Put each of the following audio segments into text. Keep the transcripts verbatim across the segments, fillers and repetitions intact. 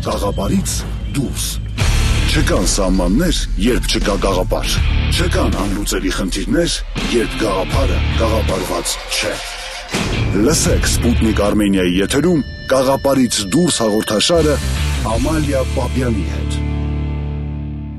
Գաղափարից դուրս։ Չկան սահմաններ, երբ չկա գաղափար։ Չկան անլուծելի խնդիրներ, երբ գաղափարը գաղափարված չէ։ Լսեք Սպուտնիկ Արմենիայի եթերում Գաղափարից դուրս հաղորդաշարը Ամալիա Պապյանի հետ։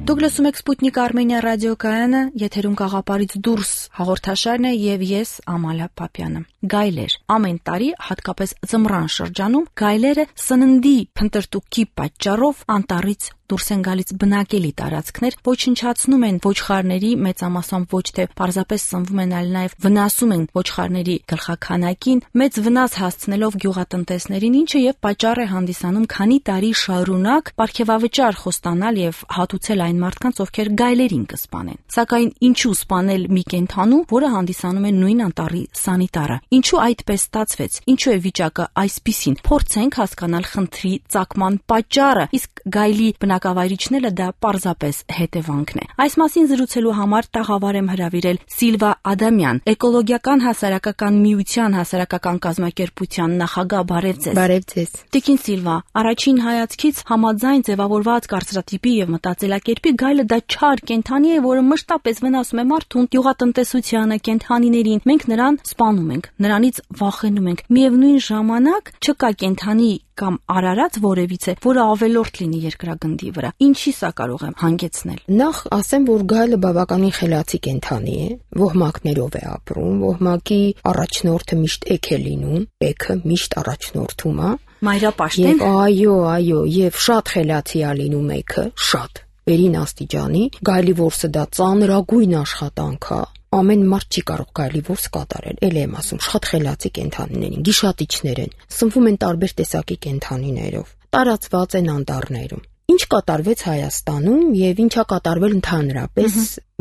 Դուք լսում եք Սպուտնիկ Արմենիա ռադիոկայանը, եթերում Գաղափարից դուրս հաղորդաշարն է եւ ես Ամալիա Պապյանը։ Գայլեր։ Ամեն տարի, հատկապես ձմռան շրջանում, գայլերը սննդի փնտրտուքի պատճառով անտառից դուրս են գալիս բնակելի տարածքներ, ոչնչացնում են ոչխարների, մեծամասամբ ոչ թե պարզապես սնվում են, այլ նաև վնասում են ոչխարների գլխաքանակին, մեծ վնաս հասցնելով գյուղատնտեսներին, ինչը եւ պատճառ է հանդիսանում քանի տարի շարունակ պարգևավճար խոստանալ եւ հատուցել այն մարդկանց, ովքեր գայլերին կսպանեն։ Սակայն ինչու սպանել մի կենդանու, որը հանդիսանում է նույն անտառի սանիտարը։ Ինչու այդպես ստացվեց։ Ինչու է վիճակը այսպիսին։ Փորձենք հասկանալ խնդրի ծագման պատճառը, իսկ գայլի բնակավայրիչները դա պարզապես հետևանքն է։ Այս մասին զրուցելու համար տաղավար եմ հրավիրել Սիլվա Ադամյան, Էկոլոգիական հասարակական միության հասարակական կազմակերպության նախագահ։ Բարև ձեզ։ Բարև ձեզ։ Տիկին Սիլվա, առաջին հայացքից համաձայն ձևավորված կարծրատիպի եւ մտածելակերպի գայլը դա չար կենդանի է, որը մշտապես վնասում է մարդուն, գյուղատնտեսությանը, կենդանիներին։ Մենք նրան սպանում ենք, նրանից վախենում ենք։ Միևնույն ժամանակ չկա կենդանի կամ արարած որևիցե, որը ավելորդ լինի երկրագնդի վրա։ Ինչի սա կարող է հանգեցնել։ Նախ ասեմ, որ գայլը բավականին խելացի կենդանի է, ոհմակներով է ապրում, ոհմակի առաջնորդը միշտ էգ է լինում, էգը միշտ առաջնորդում է։ Մայրապաշտեն։ Այո, այո, եւ շատ խելացի է լինում էգը, շատ վերին աստիճանի։ Գայլի որսը դա ծանրագույն աշխատանք է։ Ամեն մարդ չի կարող գայլի որս կատարել, էլ եմ ասում, շատ խելացի կենդանիներ են, գիշատիչներ են, սնվում են տարբեր տեսակի կենդանիներով, տարածված են անտառներում։ Ինչ կատարվեց Հայաստանում եւ ինչա կատարվել ընդհանրապես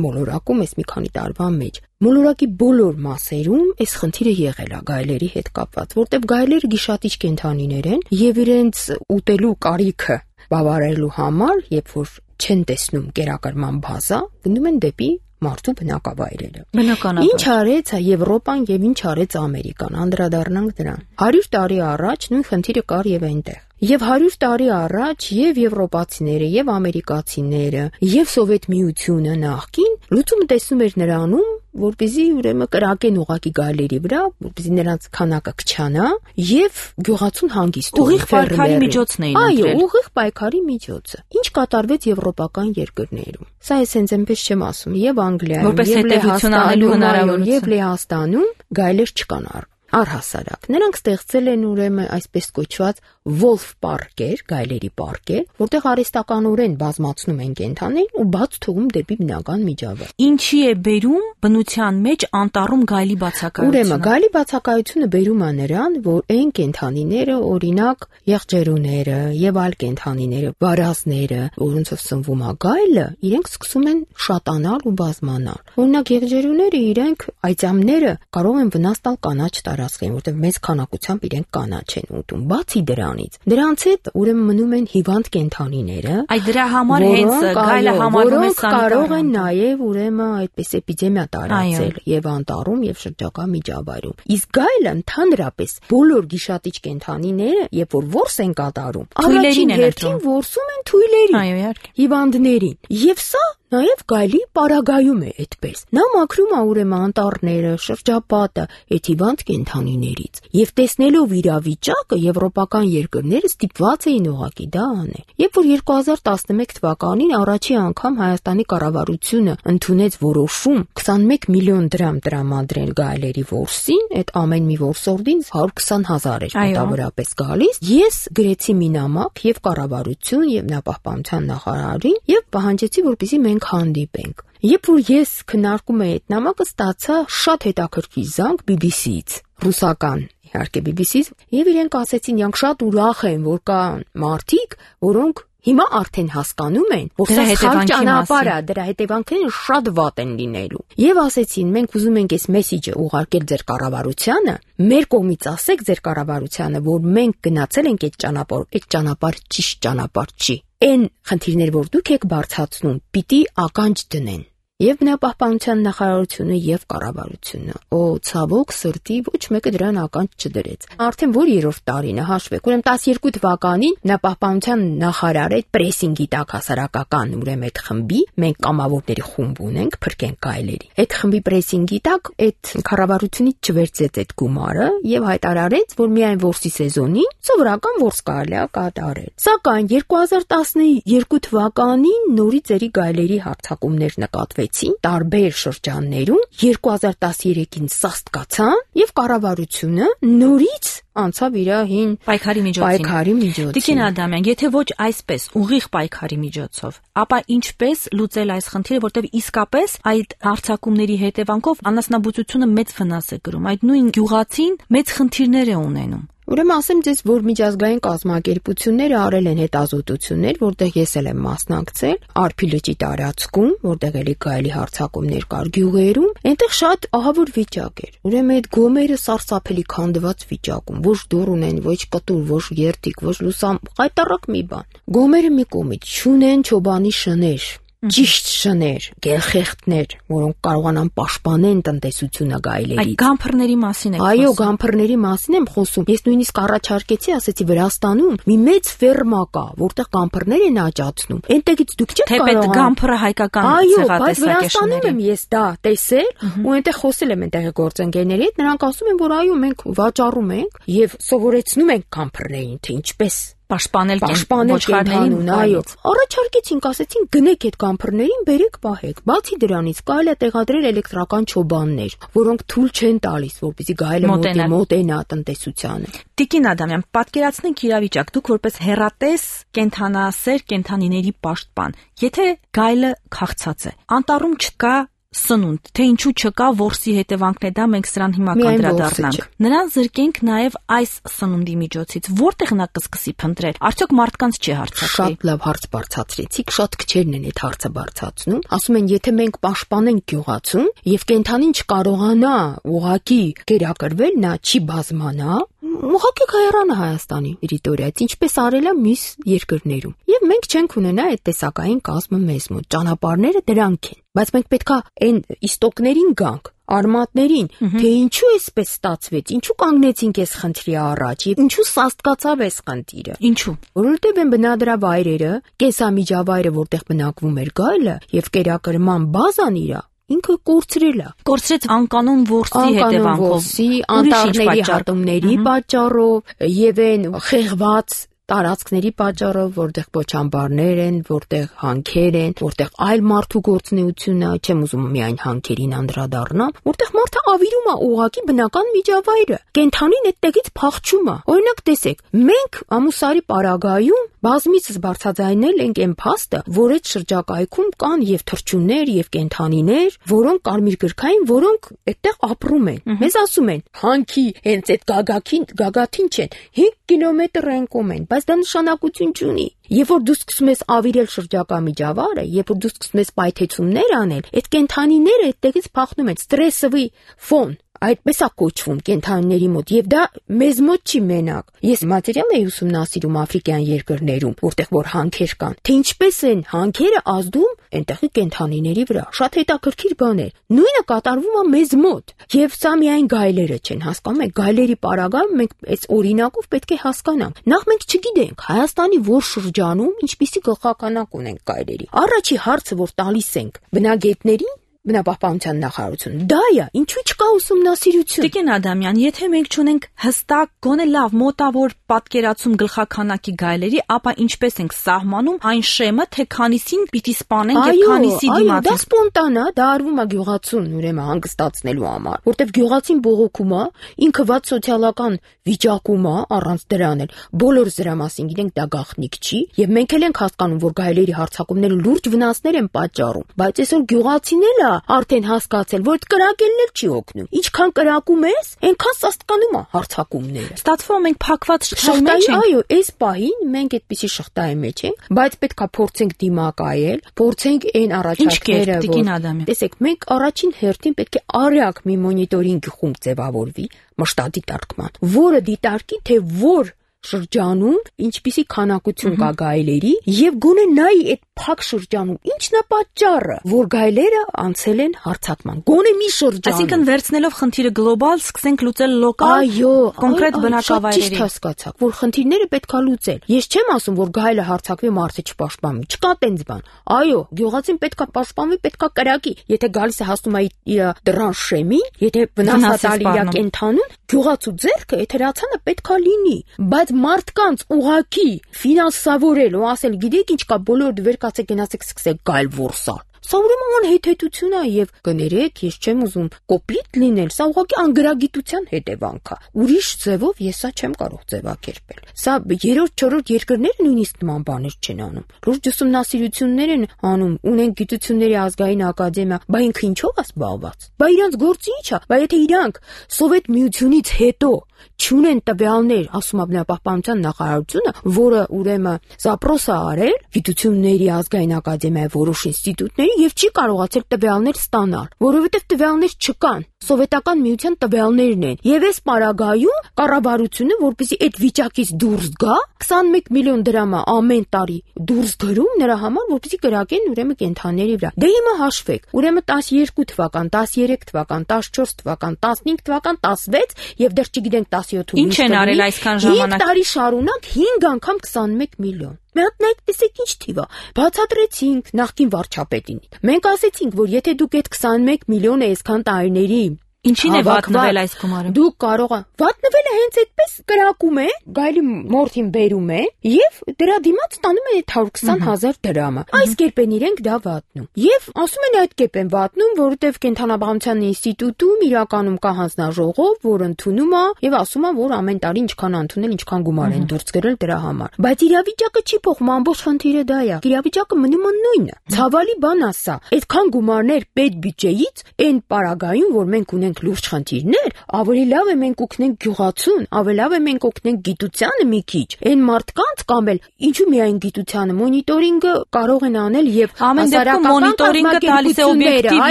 մոլորակում այս մի քանի տարվա մեջ։ Մոլորակի բոլոր մասերում այս խնդիրը եղել է գայլերի հետ կապված, որտեղ գայլերը գիշատիչ կենդանիներ են եւ իրենց ուտելու կարիքը բավարարելու համար, երբ որ չեն տեսնում կերակրման բազա, գնում են դեպի մարդու բնակավայրերը։ Բնականաբար։ Ինչ արեց Եվրոպան եւ ինչ արեց Ամերիկան, անդրադառնանք դրան։ հարյուր տարի առաջ նույն խնդիրը կար եւ այնտեղ։ Եվ հարյուր տարի առաջ եւ եվրոպացիները, եւ ամերիկացիները, եւ Սովետ միությունը նախկին լուծումը տեսնում էր նրանում, որպեսզի ուրեմն կրակեն ուղակի գայլերի վրա, որպեսզի նրանց քանակը կչանա եւ գյուղացուն հանգիստ ուղիղ պայքարի միջոցն էին ընտրել։ Այո, ուղիղ պայքարի միջոցը։ Ինչ կատարվեց եվրոպական երկրներում։ Սա ես հենց այնպես չեմ ասում, եւ Անգլիայում, եւ Լեհաստանում, եւ Լեհաստանում գայլեր չկան առհասարակ։ Նրանք ստեղծել են ուրեմն այսպես կոչված Wolf Park-եր, գայլերի պարկեր, որտեղ արհեստականորեն բազմացնում են կենդանիներին ու բաց թողում դեպի բնական միջավայր։ Ինչի է բերում բնության մեջ անտառում գայլի բացակայությունը։ Ուրեմն գայլի բացակայությունը բերում է նրան, որ այն կենդանիները, օրինակ եղջերուները եւ այլ կենդանիները, վարազները, որոնցով սնվում է գայլը, իրենք սկսում են շատանալ ու բազմանալ։ Օրինակ եղջերուները իրենք այծամները կարող են վնաս տալ կանաչ տարածքին, որտեղ մեծ քանակությամբ իրենք կանաչ են ուտում։ Բացի դրանից, դրանց հետ ուրեմն մնում են հիվանդ կենդանիները։ Այդ դրա համար հենց գայլը համարվում է սանիտար։ Կարող են նաև ուրեմն այդպես էպիդեմիա տարածել եւ անտառում եւ շրջակա միջավայրում։ Իսկ գայլը ընդհանրապես բոլոր գիշատիչ կենդանիները, երբ որ որս են կատարում, թույլերին են հերթին որսում են թույլերին։ Այո, իհարկե։ Հիվանդներին։ Եվ սա նաև գայլի պարագայում է այդպես։ Նա մաքրում է ուրեմն անտառները, շրջապատը այդ հիվանդ կենդանիներից։ Եվ տեսնելով իրավիճակը, եվրոպական երկրները ստիպված էին ուղղակի դա անել։ Երբ որ երկու հազար տասնմեկ թվականին առաջի անգամ Հայաստանի կառավարությունը ընդունեց որոշում քսանմեկ միլիոն դրամ տրամադրել գայլերի որսին, այդ ամեն մի որսորդին հարյուր քսան հազար էր մոտավորապես գալիս, ես գրեցի մի նամակ եւ կառավարություն եւ նապահպանության նախարարին եւ պահանջեցի, որպեսզի մենք հանդիպենք։ Երբ որ ես քննարկում էի այդ նամակը, ստացա շատ հետաքրքիր զանգ բի բի սի-ից, ռուսական, իհարկե բի բի սի-ից, եւ իրենք ասեցին, իրանք շատ ուրախ են, որ կան մարդիկ, որոնք հիմա արդեն հասկանում են, որ սա սխալ ճանապարհ է, դրա հետևանքները շատ վատ են լինելու։ Եվ ասեցին, մենք ուզում ենք այս մեսիջը ուղարկել ձեր կառավարությանը, մեր կողմից ասեք ձեր կառավարությանը, որ մենք գնացել ենք այդ ճանապարհ, այդ ճանապարհ ճիշտ ճանապարհ չի։ Այն խնդիրներ, որ դուք եք բարձրացնում, պիտի ականջ դնեն։ եւ բնապահպանության նախարարությունը եւ կառավարությունը։ Օ, ցավոք սրտի ոչ մեկը դրան ականջ չդրեց։ Արդեն որ երրորդ տարին է, հաշվեք, ուրեմն տասներկու թվականին բնապահպանության նախարարը այդ պրեսինգի տակ հասարակական ուրեմն այդ խմբի մենք կամավորների խումբ ունենք, փրկենք գայլերի։ Այդ խմբի պրեսինգի տակ այդ կառավարությունից չվերցեց այդ գումարը եւ հայտարարեց, որ միայն որսի սեզոնին սովորական որս կարելի է կատարել։ Սակայն երկու հազար տասներկու թվականին նորից երի գայլերի հարձակումներ նկատվեցին տարբեր շրջաններում, երկու հազար տասներեքին սաստկացան եւ կառավարությունը նորից անցավ իր հին պայքարի միջոցին։ Պայքարի միջոցին։ Տիկին Ադամյան, եթե ոչ այսպես ուղիղ պայքարի միջոցով, ապա ինչպես լուծել այս խնդիրը, որտեղ իսկապես այդ հարձակումների հետևանքով անասնաբուծությունը մեծ վնաս է կրում։ Այդ նույն գյուղացին մեծ խնդիրներ է ունենում։ Ուրեմն ասեմ ձեզ, որ միջազգային կազմակերպությունները արել են հետազոտություններ, որտեղ ես էլ եմ մասնակցել, Արփի լճի տարածքում, որտեղ էլի գայլի հարձակումներ կար գյուղերում, այնտեղ շատ ահավոր վիճակ էր։ Ուրեմն այդ գոմերը սարսափելի քանդված վիճակում, ոչ դուռ ունեն, ոչ կտուր, ոչ երթիկ, ոչ լուսամ, qayտարակ մի բան։ Գոմերը մի կողմից չունեն չոբանի շներ, ճիշտ շներ, գերխեղտներ, որոնք կարողանան պաշտպանեն տնտեսությունը գայլերից։ Այդ գամփրների մասին եք խոսում։ Այո, գամփրների մասին եմ խոսում։ Ես նույնիսկ առաջարկեցի, ասեցի Վրաստանում մի մեծ ֆերմա կա, որտեղ գամփրներ են աճացնում։ Այնտեղից դուք չեք կարող։ Թեպետ գամփրը հայկական ցեղատեսակ է շները։ Այո, բայց Վրաստանում եմ ես դա տեսել ու այնտեղ խոսել եմ այնտեղի գործընկերների հետ, նրանք ասում են, որ այո, մենք վաճառում ենք եւ սովորեցնում ենք գամփրներին, թե ինչպես պաշտպանել ոչխարներին, այո։ Առաջարկեցինք, ասեցինք գնեք այդ գամփրներին, բերեք, պահեք։ Բացի դրանից կարելի է տեղադրել էլեկտրական չոբաններ, որոնք թույլ չեն տալիս, որպեսզի գայլը մոտենա տնտեսությանը։ Տիկին Ադամյան, պատկերացնենք իրավիճակ, դուք որպես հեռատես կենթանասեր կենթանիների պաշտպան, եթե գայլը քաղցած է, անտառում չկա սնունդ, թե ինչու չկա որսի հետևանքն է դա, մենք սրան հիմա կանդրադառնանք։ Նրան զրկենք նաև այս սնունդի միջոցից, որտեղ նա կսկսի փնտրել, արդյոք մարդկանց չի հարցակվի։ Շատ լավ հարց բարձրացրեցիք, շատ քչերն են այդ հարցը բարձրացնում։ Ասում են, եթե մենք պաշտպանենք գյուղացուն եւ կենթանին չկարողանա ուղակի կերակրվել, նա չի բազմանա, ուղղակի կհեռանա Հայաստանի տերիտորիայից, ինչպես արել է մյուս երկրներում։ Եվ մենք չենք ունենա այդ տեսակային կազմը մեզ մոտ։ Ճանապարհները դրանք են։ Բայց մենք պետքա այն իստոկներին գանք, արմատներին, թե ինչու էսպես ստացվեց, ինչու կանգնեցինք այս խնդրի առաջ եւ ինչու սաստկացավ այս խնդիրը։ Ինչու։ Որովհետեւ են բնադրավայրերը, կեսամիջավայրը, որտեղ բնակվում էր գայլը, եւ կերակրման բազան իրա ինքը կորցրել է։ Կորցրեց անկանոն որսի հետևանքով, անտառների հատումների պատճառով եւ այն խեղված տարածքների պատճառով, որտեղ փոչամբարներ են, որտեղ հանքեր են, որտեղ այլ մարդու գործունեությունն է, չեմ ուզում միայն հանքերին անդրադառնամ, որտեղ մարդը ավիրում է ուղակի բնական միջավայրը։ Կենթանին այդտեղից փախչում է։ Օրինակ տեսեք, մենք ամուսարի պարագայում բազմիցս բարձրաձայնել ենք այն փաստը, որ այդ շրջակայքում կան եւ թռչուններ եւ կենթանիներ, որոնք կարմիր գրքային, որոնք այդտեղ ապրում են։ Մեզ ասում են, հանքի հենց այդ գագաթին, գագաթին չեն, հինգ կիլոմետր ենկում են, բայց դա նշանակություն չունի։ Երբ որ դու սկսում ես ավիրել շրջակա միջավայրը, երբ որ դու սկսում ես պայթեցումներ անել, այդ կենթանիները այդտեղից փախնում են, ստրեսովի ֆոն, այդպես է կոչվում կենթանիների մոտ, եւ դա մեզ մոտ չի մենակ։ Ես մատերիալ էի ուսումնասիրում աֆրիկյան երկրներում, որտեղ որ հանքեր կան, թե ինչպես են հանքերը ազդում այնտեղի կենթանիների վրա։ Շատ հետաքրքիր բան է։ Նույնը կատարվում է մեզ մոտ։ Եվ սա միայն գայլերը չեն, հասկանում եք, գայլերի պարագայում մենք այս օրինակով պետք է հասկանանք։ Նախ մենք չգիտենք Հայաստանի որ շրջանում ինչպիսի գլխականակ ունենք գայլերի։ Առաջի հարցը, որ տալիս ենք բնագետներին, բնապահպանության նախարարություն, դա է, ինչու չկա ուսումնասիրություն։ Տիկին Ադամյան, եթե մենք չունենք հստակ, գոնե լավ մոտավոր պատկերացում գլխականակի գայլերի, ապա ինչպես ենք սահմանում այն շեմը, թե քանիսին պիտի սպանենք եւ քանիսի դիմաց։ Այո, դա սպոնտան է, դա արվում է գյուղացուն, ուրեմն հանգստացնելու համար, որտեվ գյուղացին բողոքում է, ինքը ված սոցիալական վիճակում է, առանց դրան էլ բոլորս դրա մասին գիտենք, դա գաղտնիք չի, եւ մենք էլ ենք հասկանում, որ գայլերի հարձակումները լուրջ վնասներ են պատճառում, բայց այսօր գյուղացին էլ արդեն հասկացել, որ այդ կրակելն էլ չի օգնում։ Ինչքան կրակում ես, այնքան սաստկանում է հարձակումները։ Ստացվում է մենք փակված շղթայի մեջ ենք։ Այո, այս պահին մենք այդպիսի շղթայի մեջ ենք, բայց պետքա փորձենք դիմակայել, փորձենք այն առաջարկները, որ տեսեք, մենք առաջին հերթին պետք է արագ մի մոնիտորինգ խումբ ձևավորվի, մշտադիտարկման, որը դիտարկի, թե որ շրջանում ինչպիսի քանակություն կա գայլերի եւ գոնե նայի այդ փակ շրջանում ի՞նչն է պատճառը, որ գայլերը անցել են հարձակման։ Գոնե մի շրջան։ Այսինքն վերցնելով խնդիրը գլոբալ, սկսենք լուծել լոկալ, այո, կոնկրետ բնակավայրերի։ Ճիշտ հասկացաք, որ խնդիրները պետք է լուծել։ Ես չեմ ասում, որ գայլը հարձակվի, մարդը չպաշտպանվի։ Չկա տենց բան։ Այո, գյուղացին պետք է պաշտպանվի, պետք է կրակի։ Եթե գալիս է հասնում է իր դռան շեմին, եթե վնասատալի իր կենթանուն, գյուղացու ձեռքը էթերացանը պետք է լինի, բայց մարդկանց ուղակի ֆինանսավորել ու ասել, գիտեք ինչ կա, բոլորը վեր կացեք գնացեք սկսեք գայլ որսալ։ Սա ուրեմն անհեթեթություն է եւ կներեք, ես չեմ ուզում կոպիտ լինել, սա ուղղակի անգրագիտության հետևանք է։ Ուրիշ ձևով ես սա չեմ կարող ձևակերպել։ Սա երրորդ, չորրորդ երկրները նույնիսկ նման բաներ չեն անում։ Լուրջ ուսումնասիրություններ են անում, ունեն գիտությունների ազգային ակադեմիա, բա ինքը ինչով է զբաղված։ Բա իրանց գործը ի՞նչ է։ Բա եթե իրանք Սովետ միությունից հետո չունեն տվյալներ, ասում է բնապահպանության նախարարությունը, որը ուրեմն զապրոս է արել գիտությունների ազգային ակադեմիայի որոշ ինստիտուտների եւ չի կարողացել տվյալներ ստանալ, որովհետեւ տվյալներ չկան։ Սովետական միության տվյալներն են։ Եվ այս պարագայում կառավարությունը, որպեսզի այդ վիճակից դուրս գա, քսանմեկ միլիոն դրամ ամեն տարի դուրս գրում նրա համար, որպեսզի կրակեն ուրեմն կենթանիների վրա։ Դե հիմա հաշվեք, ուրեմն տասներկու թվական, տասներեք թվական, տասնչորս թվական, տասնհինգ թվական, տասվեց եւ դեռ չգիտենք տասյոթ Ինչ են արել այսքան ժամանակ։ հինգ տարի շարունակ հինգ անգամ քսանմեկ միլիոն։ Մենք այդպեսեք ինչ թիվ է։ Բացատրեցինք նախկին վարչապետին։ Մենք ասեցինք, որ եթե դուք այդ քսանմեկ միլիոնը այսքան տարիների Ինչին է վատնվել այս գումարը։ Դուք կարող եք վատնվելը հենց այդպես կրակում է, գայլի մորթին բերում է եւ դրա դիմաց ստանում են eight hundred twenty thousand դրամը։ Այս կերպ են իրենք դա վատնում։ Եվ ասում են այդ կերպ են վատնում, որովհետեւ կենթանաբանության ինստիտուտում իրականում կա հանձնաժողով, որ ընդունում է եւ ասում է, որ ամեն տարի ինչքան ընդունել, ինչքան գումար են դուրս գրել դրա համար։ Բայց իրավիճակը չի փոխվում, ամբողջ խնդիրը դա է։ Իրավիճակը մնում է նույնը։ Ցավալի բան է սա։ Այդքան գումարներ պետ բյուջեից այն պարագայում, որ մենք ունենք լուրջ խնդիրներ, ավելի լավ է մենք օգնենք գյուղացուն, ավելի լավ է մենք օգնենք գիտությանը մի քիչ։ Այն մարդկանց կամ էլ ինչու միայն գիտությանը մոնիտորինգը կարող են անել եւ ամեն դեպքում մոնիտորինգը տալիս է օբյեկտիվ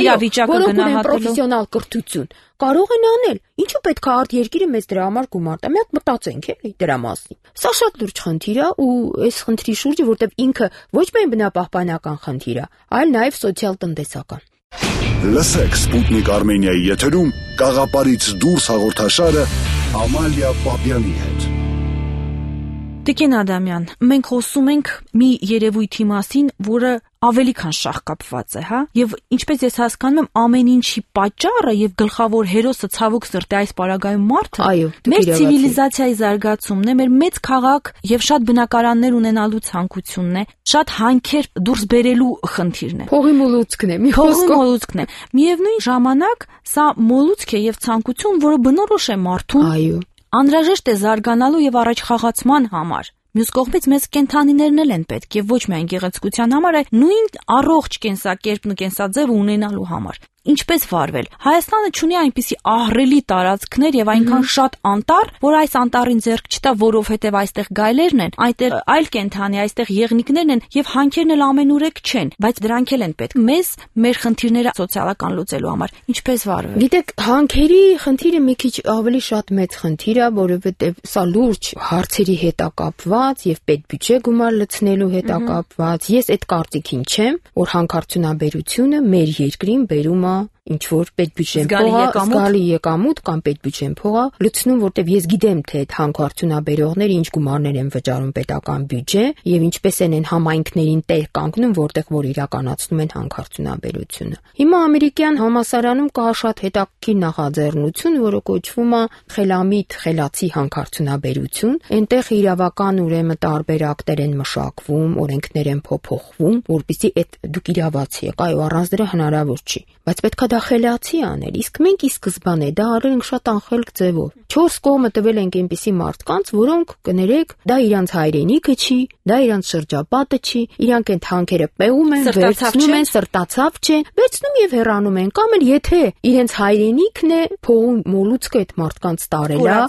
իրավիճակը գնահատելու պրոֆեսիոնալ կրթություն կարող են անել։ Ինչու պետք է արդ երկիրը մեզ դրա համար գումար տա։ Մենք մտածենք էլի դրա մասին։ Սա շատ լուրջ խնդիր է ու այս խնդրի շուրջը, որտեղ ինքը ոչ միայն բնապահպանական խնդիր է, այլ նաեւ սոցիալ-տնտեսական։ Լսեք Սպուտնիկ Արմենիայի եթերում Գաղափարից դուրս հաղորդաշարը Ամալիա Պապյանի հետ։ Տիկին Ադամյան, մենք խոսում ենք մի երևույթի մասին, որը ավելի քան շահկապված է, հա, եւ ինչպես ես հասկանում եմ, ամեն ինչի պատճառը եւ գլխավոր հերոսը ցավոք սրտի այս պարագայում մարդը, մեր ցիվիլիզացիայի զարգացումն է, մեր մեծ քաղաք եւ շատ բնակարաններ ունենալու ցանկությունն է, շատ հանքեր դուրս բերելու խնդիրն է։ Փողի մոլուցքն է, մի խոսքով մոլուցքն է։ Միևնույն ժամանակ սա մոլուցք է եւ ցանկություն, որը բնորոշ է մարդուն։ Այո։ Անհրաժեշտ է զարգանալու եւ առաջխաղացման համար։ Մյուս կողմից մեզ կենթանիներն էլ են պետք եւ ոչ միայն գեղեցկության համար, այլ նույն առողջ կենսակերպն ու կենսաձևը ունենալու համար։ Ինչպես վարվել։ Հայաստանը ունի այնպիսի ահռելի տարածքներ եւ այնքան շատ անտառ, որ այս անտառին ձեռք չտա, որովհետեւ այստեղ գայլերն են, այդտեղ այլ կենթանի, այստեղ եղնիկներն են եւ հանքերն էլ ամենուրեք չեն, բայց դրանք էլ են պետք մեզ մեր խնդիրները սոցիալական լուծելու համար։ Ինչպես վարվել։ Գիտեք, հանքերի խնդիրը մի քիչ ավելի շատ մեծ խնդիր է, որովհետեւ սա լուրջ հարցերի հետ է կապված եւ պետբյուջե գումար լցնելու հետ է կապված։ Ես այդ կարծիքին չեմ, որ հանքարդյունաբերությունը մեր երկրին բերում է ինչ որ պետբյուջեն փողա, զգալի եկամուտ կամ պետբյուջեն փողա լցնում, որտեվ ես գիտեմ, թե այդ հանքարդյունաբերողները ինչ գումարներ են վճարում պետական բյուջե եւ ինչպես են են համայնքներին տեղ կանգնում, որտեղ որ իրականացնում են հանքարդյունաբերությունը։ Հիմա ամերիկյան համալսարանում կա շատ հետաքրքիր նախաձեռնություն, որը կոչվում է խելամիտ խելացի հանքարդյունաբերություն։ Այնտեղ իրավական ուրեմն տարբերակներ են մշակվում, օրենքներ են փոփոխվում, որպեսզի այդ դուք իրավացի եք, այո, առանց դրա հնարավոր չի, բայց պետք է դա խելացի անել, իսկ մենք ի սկզբանե դա արել ենք շատ անխելք ձևով։ Չորս կողմը տվել ենք այնպիսի մարդկանց, որոնք կներեք, դա իրանց հայրենիքը չի, դա իրանց շրջապատը չի, իրանք այդ հանքերը պեղում են, վերցնում են, սրտացավ չեն, վերցնում եւ հեռանում են, կամ էլ եթե իրենց հայրենիքն է, փողում մոլուցքը այդ մարդկանց տարել է,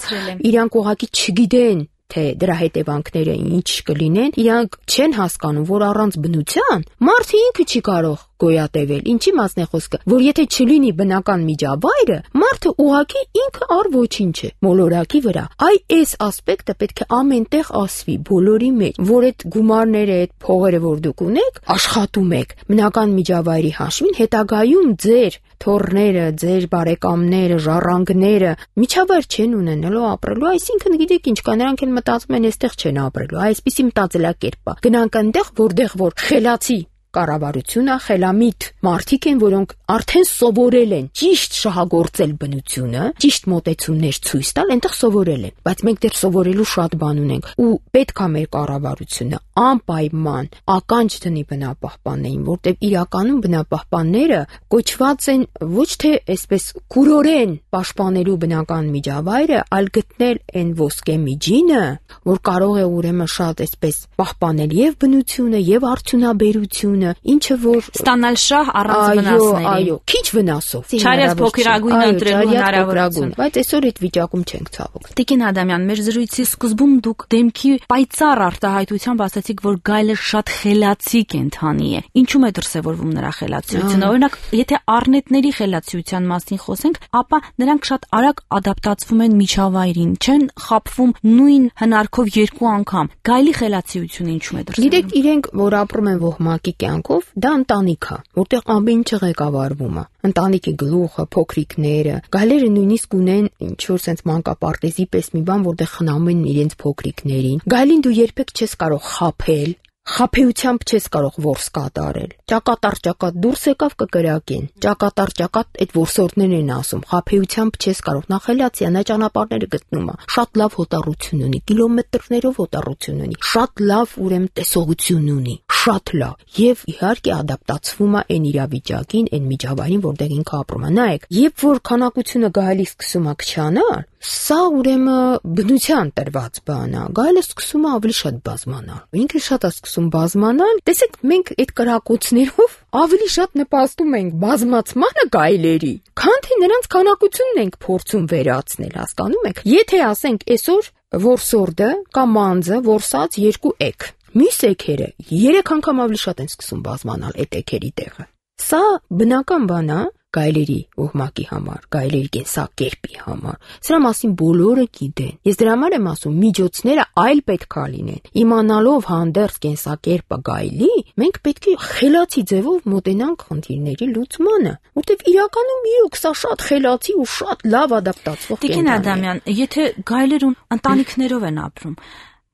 իրանք ուղղակի չգիտեն թե դրա հետևանքները ինչ կլինեն, իրանք չեն հասկանում, որ առանց բնության մարդը ինքը չի կարող գոյատևել։ Ինչի մասն է խոսքը, որ եթե չլինի բնական միջավայրը, մարդը ուղղակի ինքը առ ոչինչ է, մոլորակի վրա։ Այ այս ասպեկտը պետք է ամենտեղ ասվի, բոլորի մեջ, որ այդ գումարները, այդ փողերը, որ դուք ունեք, աշխատում եք բնական միջավայրի հաշվին, հետագայում ձեր թորները, ձեր բարեկամները, ժառանգները միջավայր չեն ունենալու ապրելու, այսինքն գիտեք ինչ կա, նրանք են մտածում են այստեղ չեն ապրելու, այսպիսի մտածելակերպ է։ Գնանք այնտեղ, որտեղ որ խելացի կառավարությունը, խելամիտ մարդիկ են, որոնք արդեն սովորել են ճիշտ շահագործել բնությունը, ճիշտ մոտեցումներ ցույց տալ, այնտեղ սովորել են, բայց մենք դեռ սովորելու շատ բան ունենք ու պետք է մեր կառավարությունը անպայման ականջ դնի բնապահպաններին, որտեղ իրականում բնապահպանները կոչված են ոչ թե այսպես կուրորեն պաշտպանելու բնական միջավայրը, այլ գտնել այն ոսկե միջինը, որ կարող է ուրեմն շատ այսպես պահպանել եւ բնությունը եւ արդյունաբերությունը, ինչը որ ստանալ շահ առանց վնասների։ Այո, այո, քիչ վնասով։ Չարյաց փոքրագույնը ընտրելու հնարավորություն։ Բայց այսօր այդ վիճակում չենք ցավոք։ Տիկին Ադամյան, մեր զրույցի սկզբում դուք դեմքի պայծառ արտահայտությամբ ասացիք, որ գայլը շատ խելացի կենդանի է։ Ինչու՞ է դրսևորվում նրա խելացիությունը։ Օրինակ, եթե առնետների խելացիության մասին խոսենք, ապա նրանք շատ արագ ադապտացվում են միջավայրին, չեն խաբվում նույն հնարքով երկու անգամ։ Գայլի խելացիությունը ինչու՞ է դրսևորվում։ Գիտեք, իրենք որ ապրում են ոհմակի կյանքով, դա ընտանիք է, որտեղ ամեն ինչը ղեկավարվում է։ Ընտանիքի գլուխը, փոքրիկները, գայլերը նույնիսկ ունեն ինչ որ sense մանկապարտեզի պես մի բան, որտեղ խնամում են իրենց փոքրիկներին։ Գայլին դու երբեք չես կարող խաբել, խաբեությամբ չես կարող որս կատարել։ Ճակատար ճակատ դուրս եկավ կկրակեն։ Ճակատար ճակատ այդ որսորդներն են ասում, խաբեությամբ չես կարող։ Նա խելացի է, նա ճանապարհները գտնում է։ Շատ լավ հոտառություն ունի, կիլոմետրներով հոտառություն ունի։ Շատ լավ ուրեմն տեսողություն ունի։ Շատ լավ եւ իհարկե ադապտացվում է այն իրավիճակին, այն միջավայրին, որտեղ ինքը ապրում է։ Նայեք, երբ որ քանակությունը գայլի սկսում է քչանալ, սա ուրեմն բնության տրված բան է։ Գայլը սկսում է ավելի շատ բազմանալ։ Ինքը շատ է սկսում բազմանալ։ Տեսեք, մենք այդ կրակոցներով ավելի շատ նպաստում ենք բազմացմանը գայլերի, քան թե նրանց քանակությունն ենք փորձում վերացնել, հասկանում եք։ Եթե ասենք այսօր որսորդը կամ մանձը որսած երկու էգ, մյուս էգերը երեք անգամ ավելի շատ են սկսում բազմանալ այդ էգերի տեղը։ Սա բնական բան է գայլերի ոհմակի համար, գայլերի կենսակերպի համար։ Սրա մասին բոլորը գիտեն։ Ես դրա համար եմ ասում, միջոցները այլ պետք է լինեն։ Իմանալով հանդերձ կենսակերպը գայլի, մենք պետք է խելացի ձևով մոտենանք խնդիրների լուծմանը, որտեղ իրականում իրոք սա շատ խելացի ու շատ լավ ադապտացվող կենտրոն է։ Տիկին Ադամյան, եթե գայլերուն ընտանիքներով են ապրում,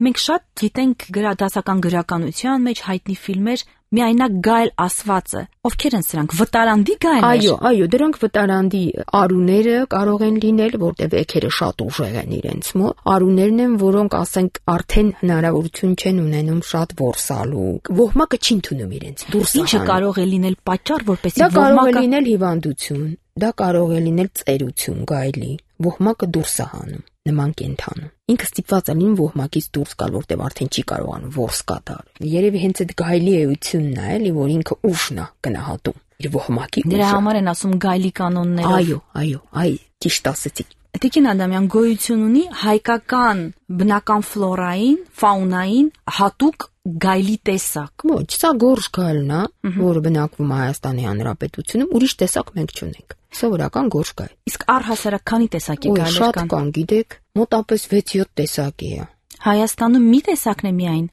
մենք շատ գիտենք դասական գրականության մեջ հայտնի ֆիլմեր, միայնակ գայլ ասվածը, ովքեր են սրանք, վտարանդի գայլներ։ Այո, այո, դրանք վտարանդի արուները կարող են լինել, որտեղ էգերը շատ ուժեղ են իրենց մոտ։ Արուներն են, որոնք ասենք արդեն հնարավորություն չեն ունենում շատ որսալու։ Ոհմակը չի ընդունում իրենց դուրս։ Ինչը կարող է լինել պատճառ, որպեսզի ոհմակը։ Դա կարող է լինել հիվանդություն, դա կարող է լինել ծերություն գայլի։ Ոհմակը դուրս է հանում նման կենթանը։ Ինքը ստիպված է լինում ոհմակից դուրս գալ, որտեղ արդեն չի կարողանում որս կատարել։ Երևի հենց այդ գայլի էությունն է, էլի, որ ինքը ուժն է գնահատում իր ոհմակի ուժը։ Դրա համար են ասում գայլի կանոններով։ Այո, այո, այ ճիշտ ասեցիք։ Տիկին Ադամյան, գոյություն ունի հայկական բնական ֆլորային, ֆաունային հատուկ գայլի տեսակ։ Ոչ, սա գորշ գայլն է, որը բնակվում է Հայաստանի Հանրապետությունում, ուրիշ տեսակ մենք չունենք։ Սովորական գորշ գայլ։ Իսկ առհասարակ քանի տեսակի գայլեր կան։ Շատ կան, գիտեք, մոտապես վեց-յոթ տեսակի է։ Հայաստանում մի տեսակն է միայն։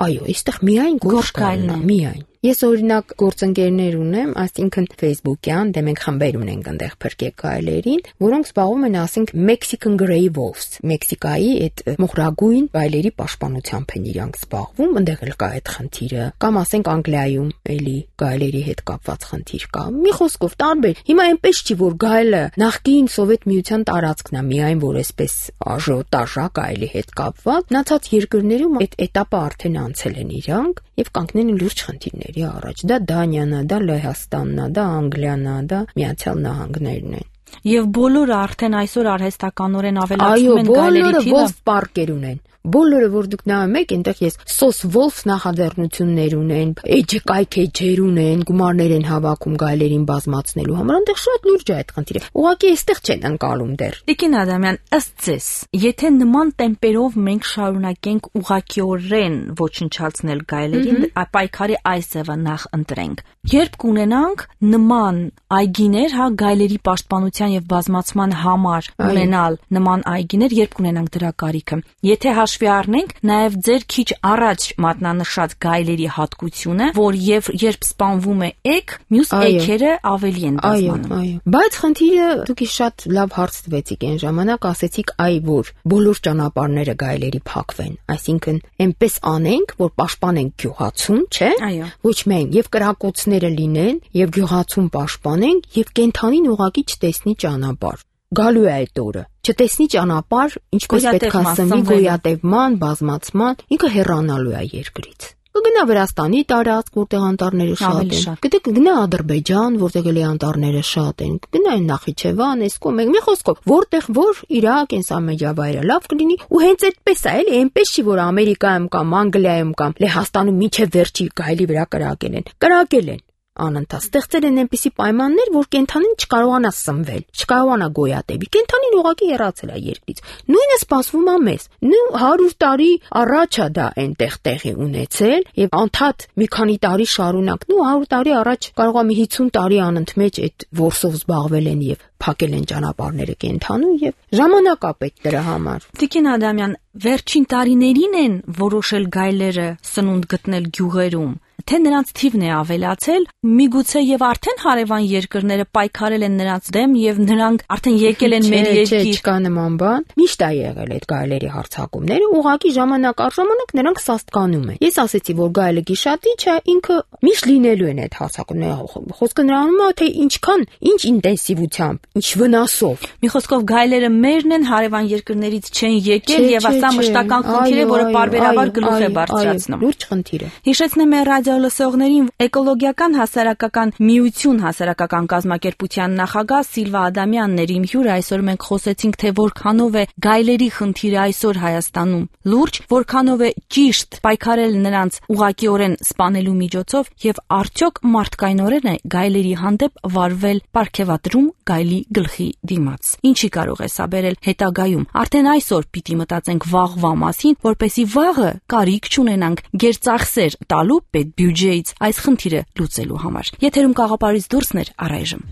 Այո, այստեղ միայն գորշ գայլն է, միայն։ Ես օրինակ գործընկերներ ունեմ, այսինքն Facebook-յան, դե մենք խմբեր ունենք այնտեղ փրկեք գայլերին, որոնք զբաղվում են, ասենք, Mexican Grey Wolves, Մեքսիկայի այդ մոխրագույն գայլերի պաշտպանությամբ են իրանք զբաղվում, այնտեղ էլ կա այդ խնդիրը, կամ ասենք Անգլիայում էլի գայլերի հետ կապված խնդիր կա։ Մի խոսքով տարբեր։ Հիմա այնպես չի, որ գայլը նախկին Սովետ միության տարածքն է, միայն որ այսպես աժոտաժ է գայլի հետ կապված, մնացած երկրներում այդ этаպը արդեն անցել են իրանք եւ կանգնել են լուրջ խնդիրների առաջ։ Դա Դանիան է, դա Լեհաստանն է, դա Անգլիան է, դա Միացյալ Նահանգներն են։ Եվ բոլորը արդեն այսօր արհեստականորեն ավելացնում են գայլերի թիվը։ Այո, բոլորը wolf park-եր ունեն։ Բոլորը որ դուք նայում եք, այնտեղ ես Սոս Վոլֆ նախաձեռնություններ ունեն, էջը կայքեջեր ունեն, գումարներ են հավաքում գայլերին բազմացնելու համար, այնտեղ շատ լուրջ է այդ խնդիրը։ Ուղղակի այստեղ չեն ընկալում դեռ։ Տիկին Ադամյան, ըստ ձեզ, եթե նման տեմպերով մենք շարունակենք ուղղակիորեն ոչնչացնել գայլերին, պայքարի այս ձևը նախ ընտրենք, երբ կունենանք նման այգիներ, հա, գայլերի պաշտպանության եւ բազմացման համար ունենալ նման այգիներ, երբ կունենանք դրա կարիքը։ Եթե հաշվի առնենք նաեւ ձեր քիչ առաջ մատնանշած գայլերի հատկությունը, որ եւ երբ սպանվում է էգ, մյուս էգերը ավելի են բազմանում։ Այո, այո։ Բայց խնդիրը դուք շատ լավ հարց տվեցիք այն ժամանակ, ասեցիք այ որ բոլոր ճանապարհները գայլերի փակվեն, այսինքն այնպես անենք, որ պաշտպանենք գյուղացուն, չէ՞։ Այո։ Ոչ միայն եւ կրակոցները լինեն եւ գյուղացուն պաշտպանենք եւ կենթանին ուղղակի չտեսնի ճանապարհ։ Գալու է այդ օրը։ Չտեսնի ճանապարհ, ինչպես պետք է ասվի գոյատևման, բազմացման, ինքը հեռանալու է երկրից։ Կգնա Վրաստանի տարածք, որտեղ անտառները շատ են։ Գիտեք, կգնա Ադրբեջան, որտեղ էլի անտառները շատ են։ Կգնա այն Նախիջևան, այս կողմ, մի խոսքով, որտեղ որ Իրաք, կենսամեջավայրը լավ կլինի, ու հենց այդպես է, էլի, այնպես չի, որ Ամերիկայում կամ Անգլիայում կամ Լեհաստանում միջև վերջի գայլի վրա կրակել են։ Կրակել են։ Անընդհատ ստեղծել են այնպիսի պայմաններ, որ կենթանին չկարողանա սնվել, չկարողանա գոյատևի։ Կենթանին ուղղակի հեռացել է երկրից։ Նույնը սպասվում է մեզ։ Նու հարյուր տարի առաջ է դա այնտեղ տեղի ունեցել եւ անդադ մի քանի տարի շարունակ։ Նու հարյուր տարի առաջ կարող է մի հիսուն տարի անընդմեջ այդ որսով զբաղվել են եւ փակել են ճանապարհները կենթանու եւ ժամանակ է պետք դրա համար։ Տիկին Ադամյան, վերջին տարիներին են որոշել գայլերը սնունդ գտնել գյուղերում, թե նրանց թիվն է ավելացել, միգուցե եւ արդեն հարևան երկրները պայքարել են նրանց դեմ եւ նրանք արդեն եկել են մեր երկիր։ Չկա նման բան։ Միշտ է եղել այդ գայլերի հարձակումները, ուղղակի ժամանակ առ ժամանակ նրանք սաստկանում են։ Ես ասեցի, որ գայլը գիշատիչ է, ինքը միշտ լինելու են այդ հարձակումները։ Խոսքը նրանում է, թե ինչքան, ինչ ինտենսիվությամբ, ինչ վնասով։ Մի խոսքով գայլերը մերն են, հարևան երկրներից չեն եկել եւ ասա մշտական խնդիր է, որը բարբերաբար գլուխ է բարձրացնում։ Լուրջ խնդիր է։ Հիշեցնեմ մեր լսողներին էկոլոգիական հասարակական միություն հասարակական կազմակերպության նախագահ Սիլվա Ադամյանն էր իմ հյուրը։ Այսօր մենք խոսեցինք, թե որքանով է գայլերի խնդիրը այսօր Հայաստանում լուրջ, որքանով է ճիշտ պայքարել նրանց ուղղակիորեն սպանելու միջոցով եւ արդյոք մարդկայնորեն է գայլերի հանդեպ վարվել պարգևատրում գայլի գլխի դիմաց։ Ինչի կարող է սա բերել հետագայում։ Արդեն այսօր պիտի մտածենք վաղվա մասին, որպեսզի վաղը կարիք չունենանք գերծախսեր տալու պետ բյուջեից այս խնդիրը լուծելու համար։ Եթերում Գաղափարից դուրսն էր առայժմ։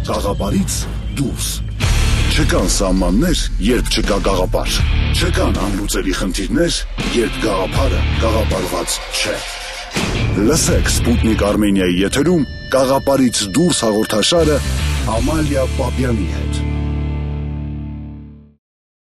Գաղափարից դուրս։ Չկան սահմաններ, երբ չկա գաղափար։ Չկան անլուծելի խնդիրներ, երբ գաղափարը գաղափարված չէ։ Լսեք Սպուտնիկ Արմենիայի եթերում Գաղափարից դուրս հաղորդաշարը Ամալիա Պապյանի հետ։